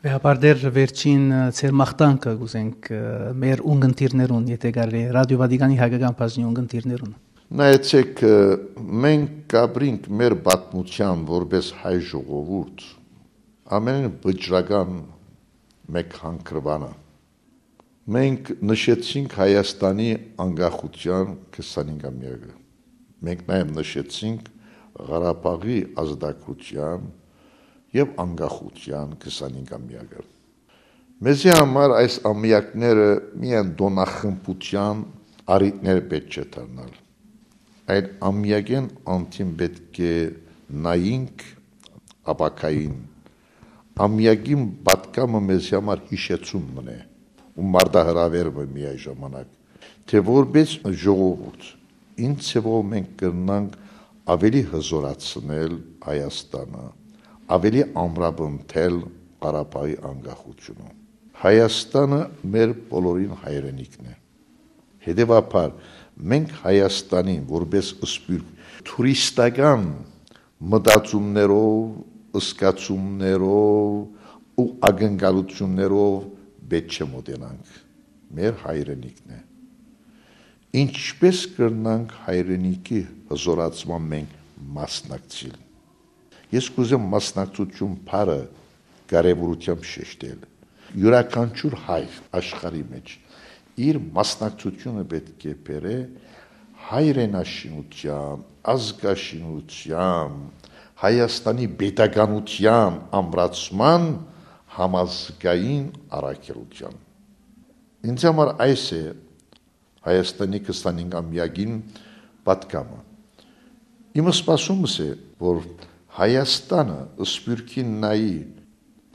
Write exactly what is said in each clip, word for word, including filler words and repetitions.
Հապարդեր վերջին, ը, ձեր մաղթանքը կ'ուզենք, ը, մեր ունգընտիրներուն, եթե կարելի է, Ռադիո Վատիկանի հայկական բաժնի ունգընտիրներուն։ Նայեցեք, ը, մենք կապրինք մեր պատմութեան որպէս հայ ժողովուրդ, ամենէն վճռական մէկ հանգրուանը։ Մենք նշեցինք Հայաստանի անկախութեան քսանհինգամեակը։ Մենք նաեւ նշեցինք Ղարաբաղի ազատագրութեան եւ անկախութեան քսանհինգամեակը։ Մեզի համար այս ամեակները միայն տօնախմբութեան առիթներ պէտք չէ դառնալ, այլ ամեակէն անդին պէտք է նայինք ապագային։ Ամեակին պատգամը մեզի համար յիշեցում մըն է ու մարտահրաւեր մը միայն ժամանակ, թէ որպէս ժողովուրդ, ինչ ձեւով մենք կրնանք ավելի հզորացնել Հայաստանը, ավելի ամրապնդել Ղարաբաղի անկախությունը։ Հայաստանը մեր բոլորին հայրենիքն է։ Հետեւաբար, մենք Հայաստանին որպէս սփիւռք թուրիստական մտածումներով, զգացումներով ու ակնկալություններով պէտք չէ մօտենանք։ Մեր հայրենիքն է։ Ինչպէս կրնանք հայրենիքի հզորացման մենք մասնակցիլ։ Ես կ'ուզեմ մասնակցություն բառը կարեւորութեամբ շեշտել։ Յուրաքանչիւր հայ աշխարհի մէջ իր մասնակցությունը պէտք է բերէ հայրենաշինութեան, ազգաշինութեան, Հայաստանի պետականութեան ամրացման համազգային առաքելութեան։ Ինձ համար այս է Հայաստանի քսանհինգամեակին պատգամը։ Իմ սպասումս է, որ Հայաստանը սփիւռքին նայի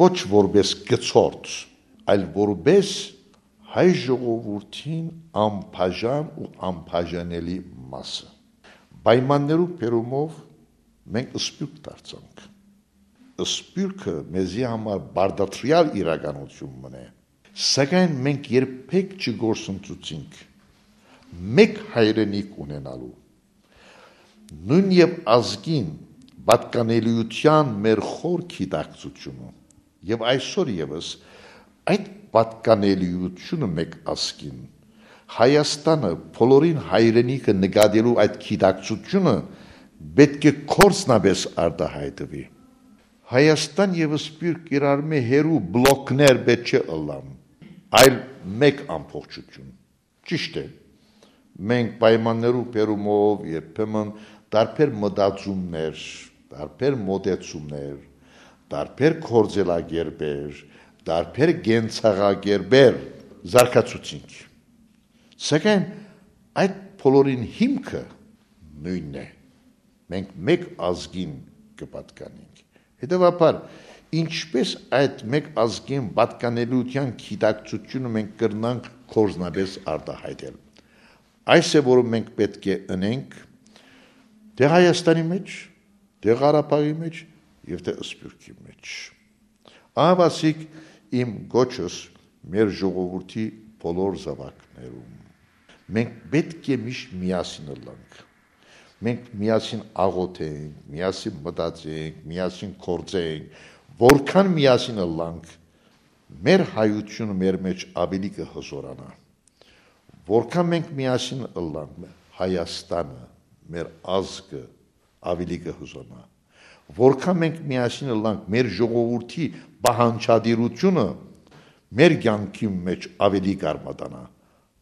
ոչ որպէս գցորդ, այլ որպէս հայ ժողովուրդին անբաժան ու անբաժանելի մասը։ Պայմաններու բերումով մենք սփիւռք դարձանք։ Սփիւռքը մեզի համար պարտադրեալ իրականություն մըն է, սակայն մենք երբեք չկորսնցուցինք մէկ հայրենիք ունենալու, նոյն եւ ազգին պատկանելիութեան մեր խոր գիտակցությունը, եւ այսօր եւս այդ պատկանելիությունը մէկ ազգին, Հայաստանը բոլորին հայրենիքը նկատելու այդ գիտակցությունը պէտք է գործնապէս արտայայտուի։ Հայաստան եւ սփիւռք իրարմէ հեռու բլոկներ պէտք չէ ըլլան, այլ մէկ ամբողջություն։ Ճիշդ է, մենք պայմաններու բերումով երբեմն տարբեր մտածումներ, տարբեր մոտեցումներ, տարբեր գործելակերպեր, տարբեր կենցաղակերպեր զարգացուցինք։ Սակայն այդ բոլորին հիմքը նոյնն է։ Մենք մէկ ազգին կը պատկանենք։ Հետեւաբար, ինչպէս այդ մէկ ազգին պատկանելիութեան գիտակցությունը մենք կրնանք գործնապէս արտայայտել։ Այս է, որ մենք պէտք է ընենք թէ Հայաստանի մէջ, թէ Ղարաբաղի մէջ եւ թէ Սփիւռքի մէջ։ Ահավասիկ իմ կոչս մեր ժողովուրդի բոլոր զաւակներուն։ Մենք պէտք է միշտ միասին ըլլանք։ Մենք միասին աղօթենք, միասին մտածենք, միասին գործենք, որքան միասին ըլլանք, մեր հայությունը մեր մէջ աւելի կը հզորանայ։ Որքան մենք միասին ըլլանք, մեր Հայաստանը, մեր ազգը աւելի կը հզորանայ։ Որքան մենք միասին ըլլանք, մեր ժողովուրդի պահանջատիրությունը մեր կյանքի մէջ աւելի կարմատանայ։